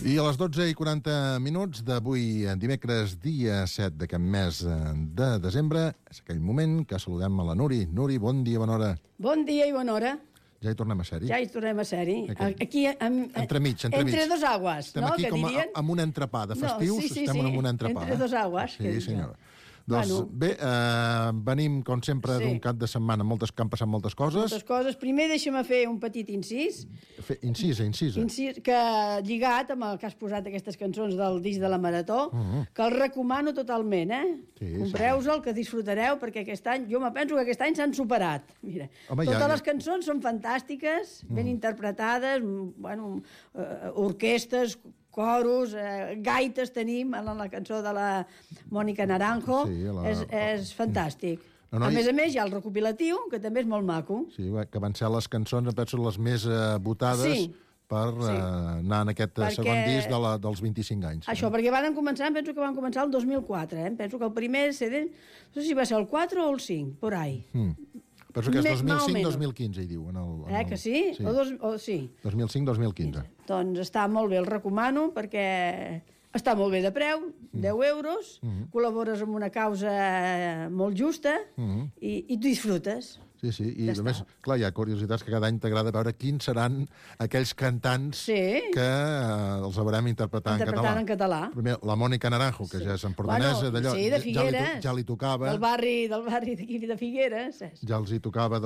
I a les 12:40 d'avui, dimecres, dia 7 d'aquest mes de desembre, és aquell moment que saludem a la Nuri. Nuri, bon dia, bona hora. Bon dia i bona hora. Ja hi tornem a ser-hi? Ja hi tornem a ser-hi. Aquí, entremig. Entre dos aguas, estem no? aquí Que com dirien? amb un entrepà de festius, estem en un entrepà. Entre dos aguas. Sí, senyora. Doncs bé, venim, com sempre, d'un cap de setmana que han passat moltes coses. Moltes coses. Primer deixa'm fer un petit incís. Incís. Que lligat amb el que has posat aquestes cançons del disc de la Marató, que el recomano totalment, Sí, compreu-se'l, que disfrutareu, perquè aquest any, jo me penso que aquest any s'han superat. Mira, totes les cançons són fantàstiques, ben interpretades, orquestres, coros, gaites tenim en la cançó de la Mònica Naranjo. És fantàstic. A més, hi ha el recopilatiu, que també és molt maco. Sí, que van ser les cançons, penso, les més votades per anar en aquest segon disc dels 25 anys. Això, perquè penso que van començar el 2004, Penso que el primer CD, no sé si va ser el 4 o el 5, por ahí. Penso que és 2005-2015, hi diu. Que sí? Sí. 2005-2015. Doncs està molt bé, el recomano, perquè està molt bé de preu, 10 euros, col·labores amb una causa molt justa i tu disfrutes. Sí, i a més, clar, hi ha curiositats que cada any t'agrada veure quins seran aquells cantants que els haurem interpretant en català. Primer, la Mònica Naranjo, que ja és empordanesa, d'allò, de Figueres, ja li tocava. Del barri d'aquí de Figueres. Ja li tocava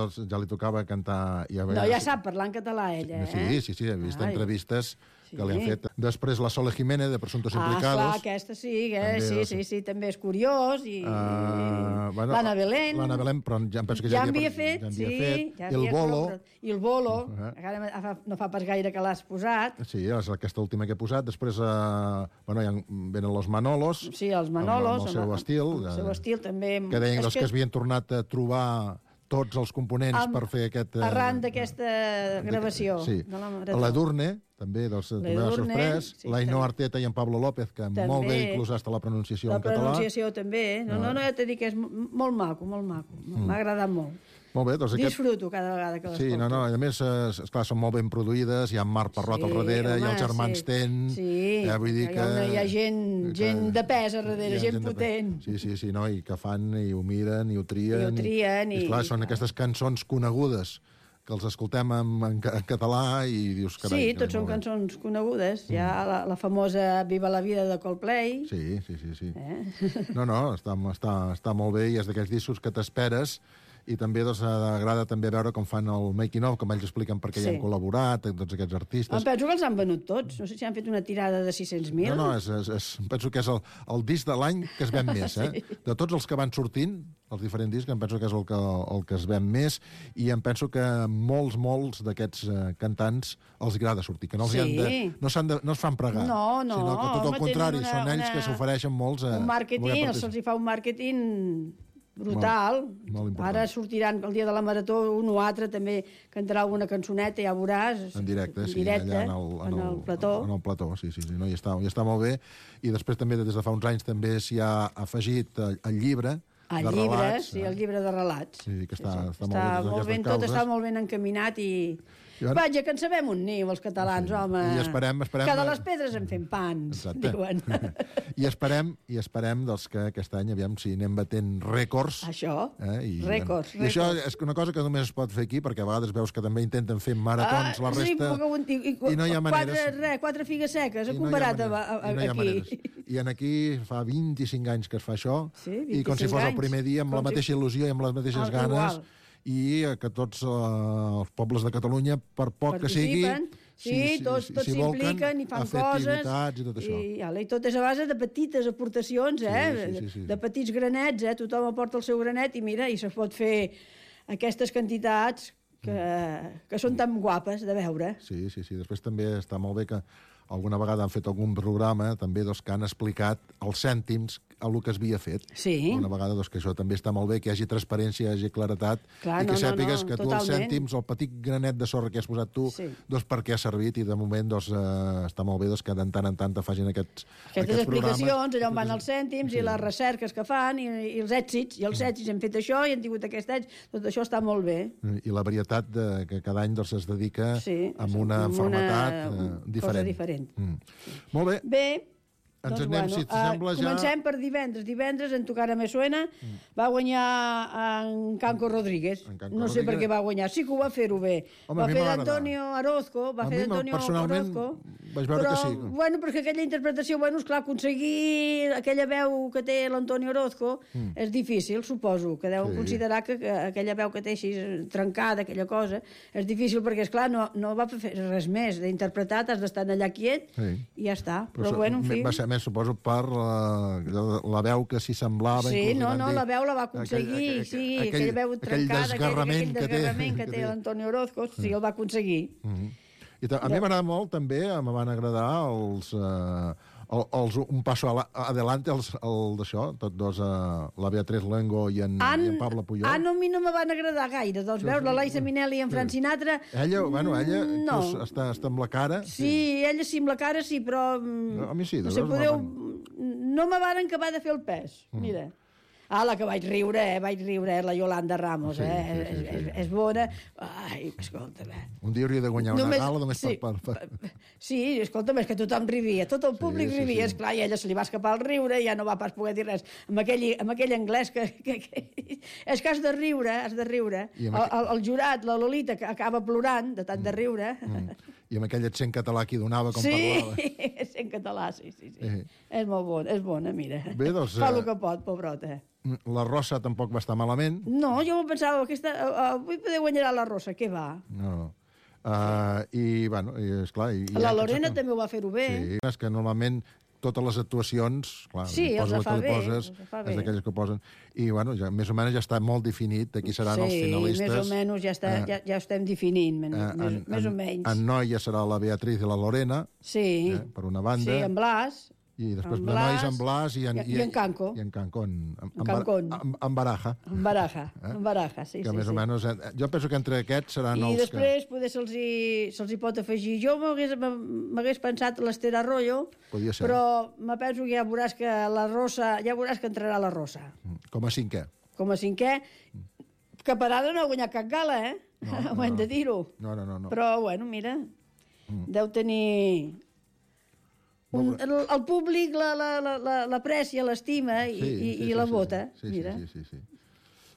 cantar... Ja sap parlar en català, ella, Sí, he vist entrevistes que li han fet. Després la Sole Jiménez, de Presuntos Implicados. Clar, aquesta sí, també és curiós. L'Anna Belén. L'Anna Belén, però ja em penso que ja havia fet. El Bolo. I el Bolo, no fa pas gaire que l'has posat. Sí, és aquesta última que he posat. Després venen los Manolos. Sí, els Manolos. Amb el seu estil. El seu estil també. Que deien que havien tornat a trobar tots els components per fer aquest... Arran d'aquesta gravació. Sí. L'Edurne, també m'ha sorprès. l'Ainhoa Arteta i en Pablo López, que molt bé inclús hasta la pronunciació en català. La pronunciació també. No, ja t'he dit que és molt maco. M'ha agradat molt. Molt bé, doncs disfruto cada vegada que l'escolto. Sí, a més, esclar, són molt ben produïdes, hi ha Marc Parrot al darrere, hi ha els germans Ten... Sí, hi ha gent de pes a darrere, gent potent. Sí, i que fan, i ho miren, i ho trien. I esclar, són aquestes cançons conegudes, que els escoltem en català i dius... Sí, tots són cançons conegudes. Hi ha la famosa Viva la vida de Coldplay. Sí. No, està molt bé, i és d'aquells discos que t'esperes. I també agrada també veure com fan el making-of, com ells expliquen per què hi han col·laborat, tots aquests artistes. Em penso que els han venut tots. No sé si han fet una tirada de 600.000. No, penso que és el disc de l'any que es ven més. De tots els que van sortint, els diferents discs, em penso que és el que es ven més, i em penso que molts d'aquests cantants els agrada sortir, que no es fan pregar, sinó que tot el contrari, són ells que s'ofereixen molts a... Un màrqueting, se'ls fa un màrqueting... brutal. Molt ara sortiran el dia de la Marató un o altre, també cantarà alguna cançoneta, ja veuràs. En directe, allà en el plató. En el plató, sí, no, i està molt bé. I després també, des de fa uns anys, també s'hi ha afegit el llibre de relats. El llibre de relats. Sí, que està molt ben, tot està molt ben encaminat i... Vaja, que en sabem un niu, els catalans, home. I esperem... Que de les pedres en fem pans, diuen. I esperem que aquest any, aviam si anem batent rècords. Això, rècords. I això és una cosa que només es pot fer aquí, perquè a vegades veus que també intenten fer maratons la resta, i no hi ha maneres. 4 figues seques, comparat aquí. I aquí fa 25 anys que es fa això, i com si fos el primer dia, amb la mateixa il·lusió i amb les mateixes ganes, i que tots els pobles de Catalunya, per poc que sigui, tots s'impliquen i fan coses, i tot és a base de petites aportacions, de petits granets, tothom aporta el seu granet, i mira, i se pot fer aquestes quantitats que són tan guapes de veure. Sí, després també està molt bé que alguna vegada han fet algun programa també que han explicat els cèntims el que es havia fet. Una vegada que això també està molt bé, que hi hagi transparència, hi hagi claretat, i que sàpigues que tu els cèntims, el petit granet de sorra que has posat tu, per què ha servit, i de moment està molt bé que de tant en tant te facin aquestes explicacions, allà on van els cèntims i les recerques que fan i els èxits, hem fet això i hem tingut aquest èxit, tot això està molt bé. I la varietat que cada any es dedica a una malaltia diferent. any. Molt bé. Bé, ens anem, si t'sembla, ja... Comencem per divendres. Divendres, en Tocara Me Suena, va guanyar en Canco Rodríguez. No sé per què va guanyar. Sí que ho va fer-ho bé. Va fer d'Antonio Orozco. A mi, personalment, vaig veure que sí. Bueno, perquè aquella interpretació, esclar, aconseguir aquella veu que té l'Antonio Orozco és difícil, suposo, que deuen considerar que aquella veu que té així trencada, aquella cosa, és difícil perquè, esclar, no va fer res més. D'interpretar, has d'estar allà quiet i ja està. Però bueno, en fi... Va ser més, suposo, per la veu que s'hi semblava. Sí, la veu la va aconseguir, aquella veu trencada, aquell desgarrament que té l'Antonio Orozco, sí, el va aconseguir. I a mi m'agrada molt, també, me van agradar un passo adelante, d'això, tots dos, la Beatriz Luengo i en Pablo Puyol. A mi no me van agradar gaire, doncs veus, la Liza Minnelli i en Frank Sinatra... Ella està amb la cara... Sí, ella sí, amb la cara sí, però... A mi sí, no me van acabar de fer el pes, mira. La que vaig riure, la Yolanda Ramos, és bona. Ai, escolta'm, Un dia hauria de guanyar una gala només per... Sí, escolta'm, és que tothom rivia, tot el públic rivia, esclar, i a ella se li va escapar el riure i ja no va pas poder dir res. Amb aquell anglès que... És que has de riure. El jurat, la Lolita, que acaba plorant de tant de riure. I amb aquell accent català que hi donava com parlava. Sí, accent català, sí. És molt bona, mira. Bé, doncs... Fa el que pot, pobrota. La Rosa tampoc va estar malament. No, jo pensava que avui poder guanyar la Rosa, què va? No. I, bueno, esclar... La Lorena també ho va fer-ho bé. Sí, és que normalment totes les actuacions, clar, els fa bé, és d'aquelles que posen, i, bueno, més o menys ja està molt definit de qui seran els finalistes. Sí, més o menys ja estem definint, més o menys. En noia serà la Beatriz i la Lorena, per una banda. Sí, en Blas... I després de nois en Blas i en Canco. I en Cancón. En Baraja. En Baraja, sí. Que més o menys... Jo penso que entre aquests seran els que... I després poder se'ls hi pot afegir. Jo m'hagués pensat l'Esther Arroyo, però me penso que ja veuràs que la Rosa... Ja veuràs que entrarà la Rosa. Com a cinquè. Com a cinquè. Que per ara no ha guanyat cap gala, ho hem de dir-ho. No. Però, bueno, mira, deu tenir... El públic l'aprecia, l'estima i la vota. Sí.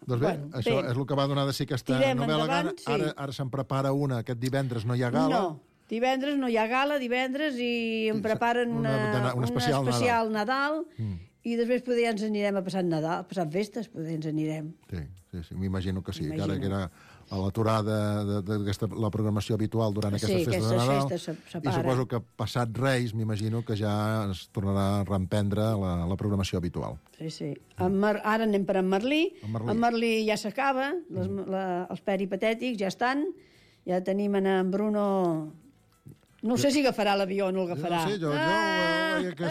Doncs bé, això és el que va donar de sí aquesta novel·la Gana. Ara se'n prepara una, aquest divendres no hi ha gala. No, divendres no hi ha gala, i em preparen un especial Nadal, i després poder ens anirem a passar Nadal, a passar festes, poder ens anirem. Sí, m'imagino que sí, que ara que era a l'aturada de la programació habitual durant aquestes festes de Nadal. I suposo que passat Reis, m'imagino que ja es tornarà a reemprendre la programació habitual. Sí. Ara anem per en Merlí. En Merlí ja s'acaba, els peripatètics ja estan, ja tenim en Bruno... No sé si agafarà l'avió o no el agafarà. No sé, jo que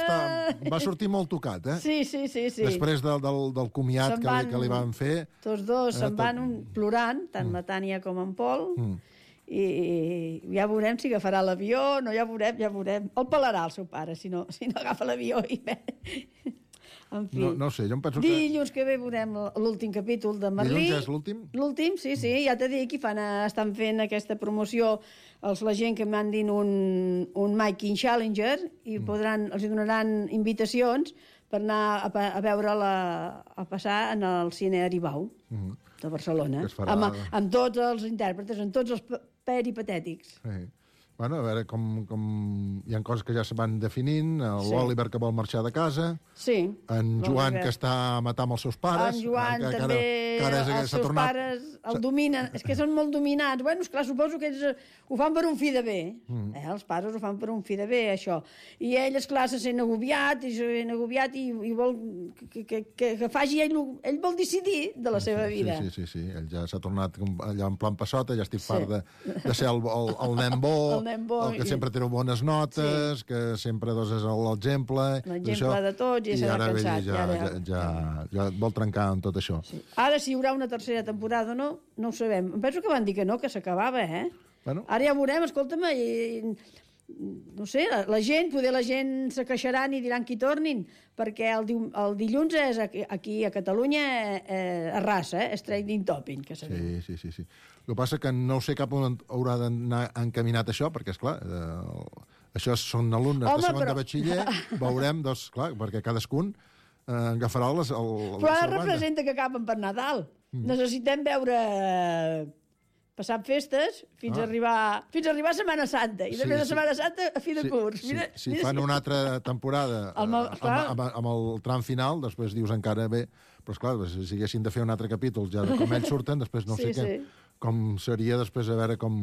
va sortir molt tocat, Sí. Després del comiat que li van fer... Tots dos se'n van plorant, tant la Tània com en Pol, i ja veurem si agafarà l'avió, no, ja veurem. El pelarà el seu pare, si no agafa l'avió i bé... En fi. No sé, jo em penso que... Dilluns que ve veurem l'últim capítol de Merlí. Dilluns és l'últim? L'últim, sí, ja t'he dit que estan fent aquesta promoció la gent que mandin un Making Challenger i els donaran invitacions per anar a veure-la a passar en el cine Aribau de Barcelona, amb tots els intèrpretes, amb tots els peripatètics. Bueno, a veure com... Hi ha coses que ja se van definint, l'Oliver que vol marxar de casa, en Joan que està a matar amb els seus pares... En Joan també, els seus pares el dominen, és que són molt dominats. Bueno, esclar, suposo que ells ho fan per un fi de bé, els pares ho fan per un fi de bé, això. I ell, esclar, se sent agobiat i vol que faci ell vol decidir de la seva vida. Sí, ell ja s'ha tornat allà en plan passota, ja estic fart de ser el nen bo, el que sempre té bones notes, que sempre és l'exemple... L'exemple de tots, i s'ha cansat. I ara ja vol trencar amb tot això. Ara, si hi haurà una tercera temporada o no ho sabem. Em penso que van dir que no, que s'acabava, Ara ja veurem, escolta'm, no sé, la gent se queixaran i diran que hi tornin, perquè el dilluns és aquí a Catalunya a raça, és trading topping, que sabem. Sí. El que passa que no sé cap on haurà d'anar encaminat això, perquè, esclar, Això són alumnes de segon de batxiller, veurem, doncs, clar, perquè cadascun agafarà la seva banda. Però ara representa que acaben per Nadal. Necessitem veure passant festes fins a arribar a Setmana Santa. I després de Setmana Santa a fi de curs. Si fan una altra temporada amb el tram final, després dius encara bé, però esclar, si haguessin de fer un altre capítol ja de com ells surten, després no sé què, com seria després a veure com...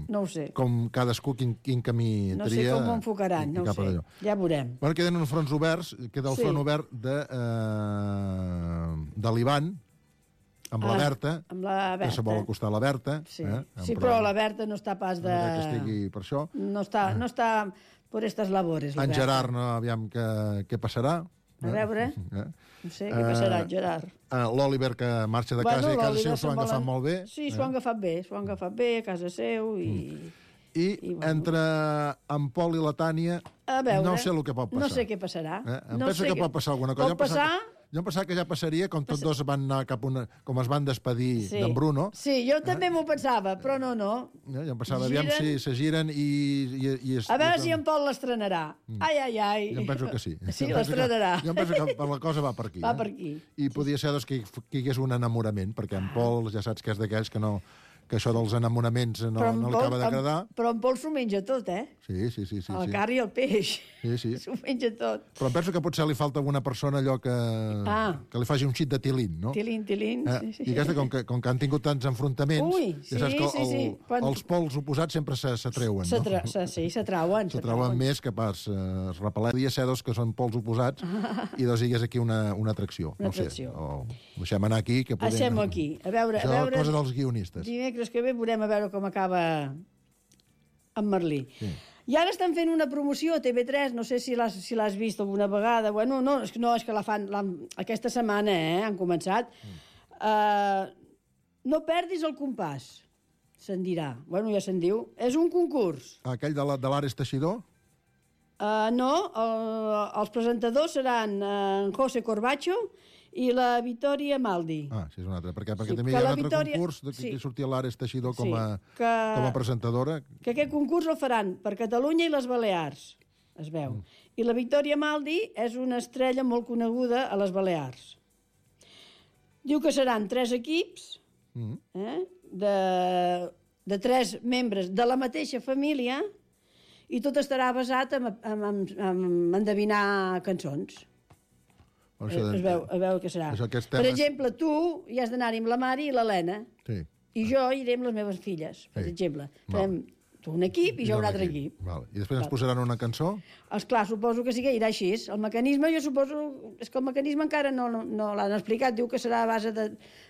No ho sé. Com cadascú quin camí tria... No sé com ho enfocaran, no ho sé. Ja veurem. Bueno, queden uns fronts oberts, queda el front obert de l'Ivan, amb la Berta, que se vol acostar a la Berta. Sí, però la Berta no està pas de... Que estigui per això. No està per aquestes labores, la Berta. En Gerard, no, aviam què passarà. A veure, no sé què passarà, Gerard. L'Òliver, que marxa de casa i a casa seu s'ho han agafat molt bé. Sí, s'ho han agafat bé a casa seu I entre en Pol i la Tània no sé el que pot passar. No sé què passarà. Em penso que pot passar alguna cosa. Pot passar... Jo em pensava que ja passaria, com tots dos van anar com es van despedir d'en Bruno. Sí, jo també m'ho pensava, però no. Jo em pensava, aviam si se giren i... A veure si en Pol l'estrenarà. Ai. Jo em penso que sí. Sí, l'estrenarà. Jo em penso que la cosa va per aquí. Va per aquí. I podia ser que hi hagués un enamorament, perquè en Pol ja saps que és d'aquells que això dels enamoraments no li acaba d'agradar. Però en Pol s'ho menja tot, Sí. El carn i el peix. Sí. S'ho menja tot. Però em penso que potser li falta alguna persona allò que li faci un xit de tilín, no? Tilín, sí. I aquesta, com que han tingut tants enfrontaments, ja saps que els pols oposats sempre s'atreuen, no? Sí, s'atrauen. S'atrauen més que pas repelar. Podria ser dos que són pols oposats i dos hi hagués aquí una atracció. No sé. Deixem anar aquí. Deixem aquí. A veure... Això és cosa dels guionistes. Dimecres que ve veurem a veure com acaba en Merlí. Sí. I ara estan fent una promoció a TV3, no sé si l'has vist alguna vegada. Bueno, no, és que la fan aquesta setmana, han començat. No perdis el compàs, se'n dirà. Bueno, ja se'n diu. És un concurs. Aquell de l'Ares Teixidor? No, els presentadors seran en José Corbacho i la Vitòria Maldi. Sí, és un altre. Perquè també hi ha un altre concurs que sortia l'Ares Teixidor com a presentadora. Que aquest concurs el faran per Catalunya i les Balears, es veu. I la Vitòria Maldi és una estrella molt coneguda a les Balears. Diu que seran 3 equips de 3 membres de la mateixa família i tot estarà basat en endevinar cançons. A veure què serà. Per exemple, tu hi has d'anar-hi amb la Mari i l'Helena. Sí. I jo iré amb les meves filles, per exemple. Farem tu un equip i jo un altre equip. I després ens posaran una cançó? Esclar, suposo que sí que irà així. El mecanisme, jo suposo... És que el mecanisme encara no l'han explicat. Diu que serà a base de...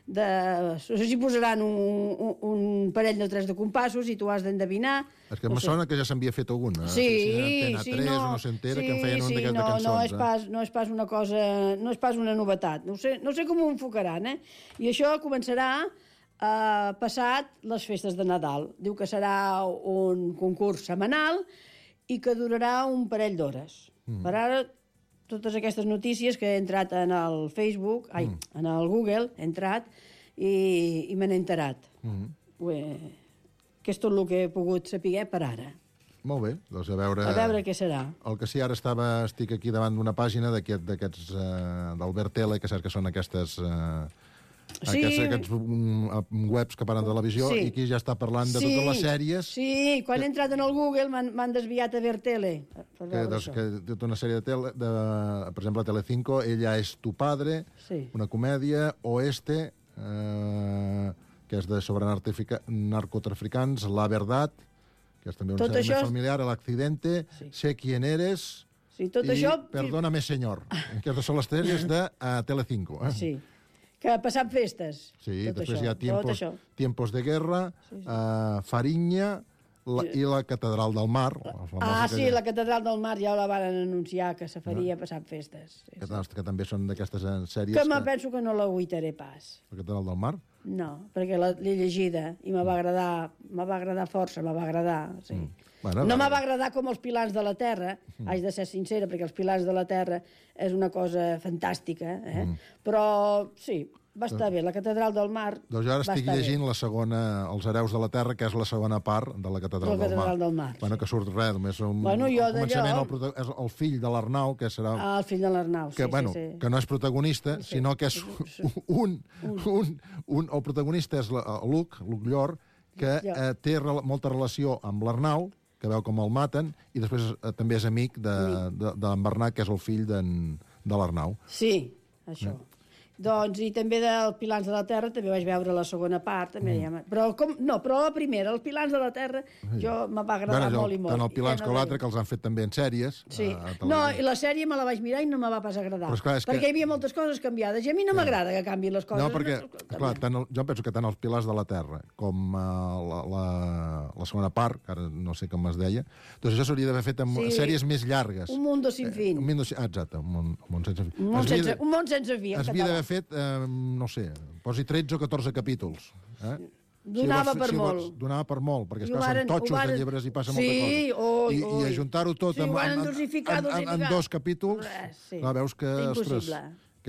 No sé si posaran un parell de 3 de compassos i tu has d'endevinar. És que me sona que ja s'havia fet algun. Sí, no. O no s'entera que en feien un d'aquests de cançons. No és pas una cosa... No és pas una novetat. No sé com ho enfocaran, I això començarà passat les festes de Nadal. Diu que serà un concurs setmanal i que durarà un parell d'hores. Per ara, totes aquestes notícies que he entrat en el Facebook, en el Google, he entrat i me n'he enterat. Que és tot el que he pogut saber per ara. Molt bé, doncs a veure què serà. El que sí, ara estic aquí davant d'una pàgina d'aquests d'Albert Tele, que saps que són aquests aquests webs que parlen de televisió i aquí ja està parlant de totes les sèries. Sí, quan he entrat en el Google m'han desviat a ver tele. Que té tota una sèrie de tele, per exemple, Telecinco, Ella es tu padre, una comèdia, Oeste, que és sobre narcotraficants, La Verdad, que és també una sèrie més familiar, El accidente, Sé quién eres i Perdóname señor, que són les sèries de Telecinco. Sí. Que ha passat festes. Sí, després hi ha Tiempos de Guerra, Fariña i la Catedral del Mar. La Catedral del Mar ja la van anunciar que se faria passant festes. Que també són d'aquestes sèries... Que me penso que no l'agüitaré pas. La Catedral del Mar? No, perquè l'he llegida i me va agradar força, me va agradar, sí. No me va agradar com els Pilars de la Terra, haig de ser sincera, perquè els Pilars de la Terra és una cosa fantàstica, però sí, Va estar bé, la Catedral del Mar. Doncs jo ara estic llegint la segona, Els hereus de la terra, que és la segona part de la Catedral del Mar. Bueno, que surt res, només un començament, és el fill de l'Arnau, que serà... El fill de l'Arnau, sí. Que no és protagonista, sinó que és el protagonista és Luc Llor, que té molta relació amb l'Arnau, que veu com el maten, i després també és amic d'en Bernat, que és el fill de l'Arnau. Sí, això. Doncs, i també del Pilars de la Terra, també vaig veure la segona part, però la primera, els Pilars de la Terra, jo me va agradar molt i molt. Tant el Pilars com l'altre, que els han fet també en sèries. Sí. No, i la sèrie me la vaig mirar i no me va pas agradar, perquè hi havia moltes coses canviades, i a mi no m'agrada que canviïn les coses. No, perquè, clar, jo penso que tant els Pilars de la Terra com la segona part, que ara no sé com es deia, doncs això s'hauria d'haver fet amb sèries més llargues. Un mundo sin fin. Exacte, un món sense fi. Un món sense fi, en català. Fet, no sé, posi 13 o 14 capítols. Donava per molt. Donava per molt, perquè esclar, són totxos de llibres i passa molta cosa. I ajuntar-ho tot en 2 capítols, veus que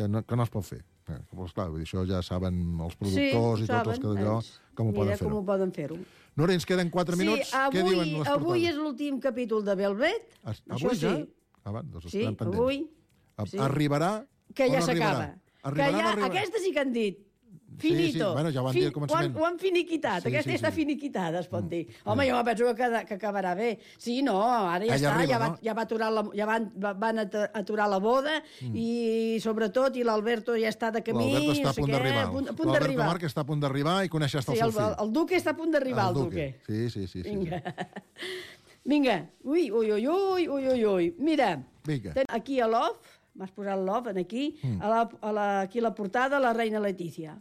no es pot fer. Clar, això ja saben els productors i tots els que d'allò com ho poden fer-ho. Núria, ens queden 4 minuts. Què diuen les portades? Avui és l'últim capítol de Velvet. Avui ja? Sí, avui. Arribarà que ja s'acaba. Aquesta sí que han dit. Finito. Sí, ja ho van dir al començament. Ho han finiquitat. Aquesta està finiquitada, es pot dir. Home, jo penso que acabarà bé. Sí, no, ara ja està. Ja van aturar la boda i, sobretot, i l'Alberto ja està de camí. L'Alberto està a punt d'arribar. L'Alberto Marc està a punt d'arribar i coneix el seu fill. El Duque està a punt d'arribar, el Duque. Sí. Vinga. Ui. Mira, aquí a l'off, m'has posat l'off aquí, aquí a la portada, la reina Letícia.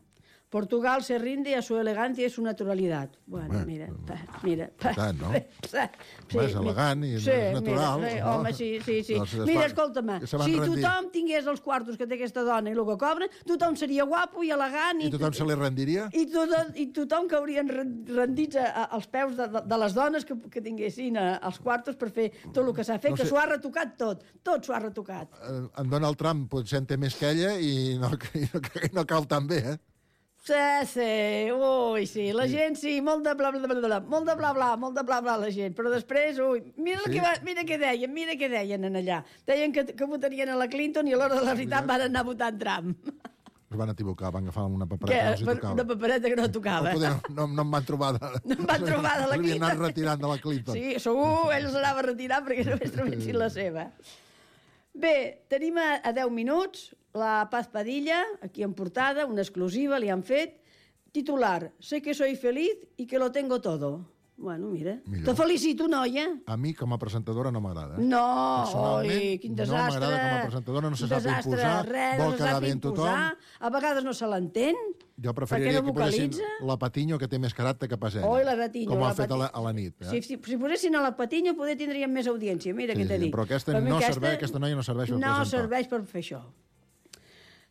Portugal se rinde a su elegancia y su naturalidad. Bueno, mira. Tant, no? És elegant i és natural. Home, sí. Mira, escolta'm, si tothom tingués els quartos que té aquesta dona i el que cobren, tothom seria guapo i elegant. I tothom se li rendiria? I tothom caurien rendits als peus de les dones que tinguessin els quartos per fer tot el que s'ha fet, que s'ho ha retocat tot. Tot s'ho ha retocat. En Donald Trump potser en té més que ella i no cal tan bé, Sí, la gent sí, molt de bla bla la gent, però després, mira què deien en allà. Deien que votarien a la Clinton i a l'hora de la veritat van anar votant Trump. Es van equivocar, van agafar una papereta que no els tocava. Una papereta que no tocava. No em van trobar de... No em van trobar de la Clinton. S'havien anat retirant de la Clinton. Sí, segur, ell s'anava a retirar perquè només trobessin la seva. Bé, tenim a 10 minuts la Paz Padilla, aquí en portada, una exclusiva, li han fet. Titular, sé que soy feliz y que lo tengo todo. Bueno, mira. Te felicito, noia. A mi, com a presentadora, no m'agrada. No, quin desastre. No m'agrada com a presentadora, no se sap imposar, vol quedar bé en tothom. A vegades no se l'entén. Jo preferiria que posessin la Patiño, que té més caràcter que pas ella. La Patiño. Com ho ha fet a la nit. Si posessin a la Patiño, poder tindríem més audiència. Mira què t'he dit. Però aquesta noia no serveix per presentar. No serveix per fer això.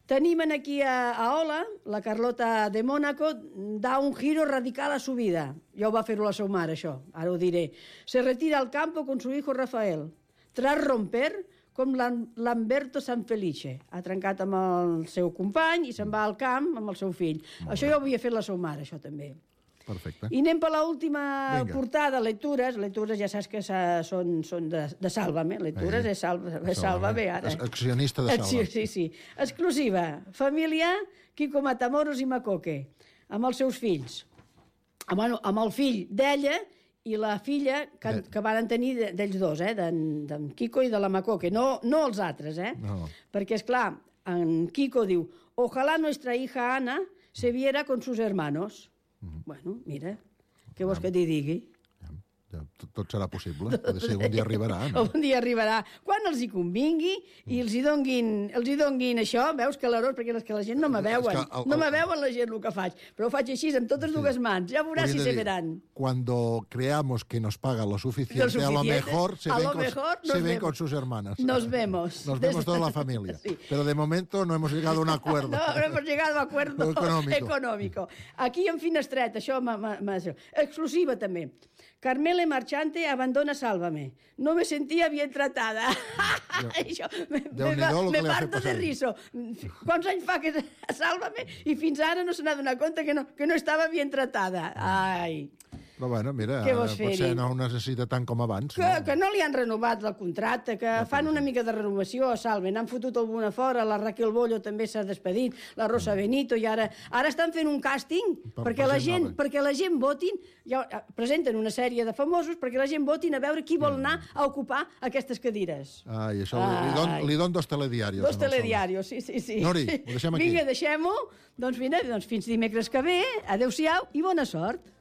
Tenim aquí a Ola, la Carlota de Mónaco, da un giro radical a su vida. Ja ho va fer-ho la seva mare, això, ara ho diré. Se retira al campo con su hijo Rafael. Tras romper, com Lamberto Sanfelice. Ha trencat amb el seu company i se'n va al camp amb el seu fill. Això ja ho havia fet la seva mare, això també. Perfecte. I anem per l'última portada, lectures. Lectures ja saps que són de Sálvame. Lectures és Sálvame ara. Accionista de Sálvame. Sí. Exclusiva. Família Quico Matamoros i Macoque. Amb els seus fills. Amb el fill d'ella i la filla que van tenir d'ells dos, d'en Quico i de la Macoque. No els altres, Perquè, esclar, en Quico diu «Ojalá nuestra hija Ana se viera con sus hermanos». Bueno, mira, què vols que t'hi digui? Tot serà possible. Potser algun dia arribarà, no? Algun dia arribarà. Quan els hi convingui i els hi donguin això, veus, calarós, perquè és que la gent no me veuen. No me veuen la gent el que faig. Però ho faig així, amb totes dues mans. Ja veuràs si se veran. Cuando creamos que nos paga lo suficiente, a lo mejor se ven con sus hermanas. Nos vemos. Nos vemos toda la familia. Sí. Pero de momento no hemos llegado a un acuerdo. No hemos llegado a un acuerdo económico. Aquí en Finestret, això exclusiva també. Carmela Daniele Marchante abandona Sálvame. No me sentía bien tratada. Això me parto de riso. Quants anys fa que Sálvame i fins ara no se n'ha donat compte que no estava bien tratada. Ai... Però bueno, mira, potser no ho necessita tant com abans. Que no li han renovat el contracte, que fan una mica de renovació a Salve. N'han fotut alguna fora, la Raquel Bollo també s'ha despedit, la Rosa Benito, i ara estan fent un càsting perquè la gent votin, presenten una sèrie de famosos perquè la gent votin a veure qui vol anar a ocupar aquestes cadires. Ai, això li don dos telediarios. Dos telediarios, sí. Nori, ho deixem aquí. Vinga, deixem-ho. Doncs fins dimecres que ve. Adéu-siau i bona sort.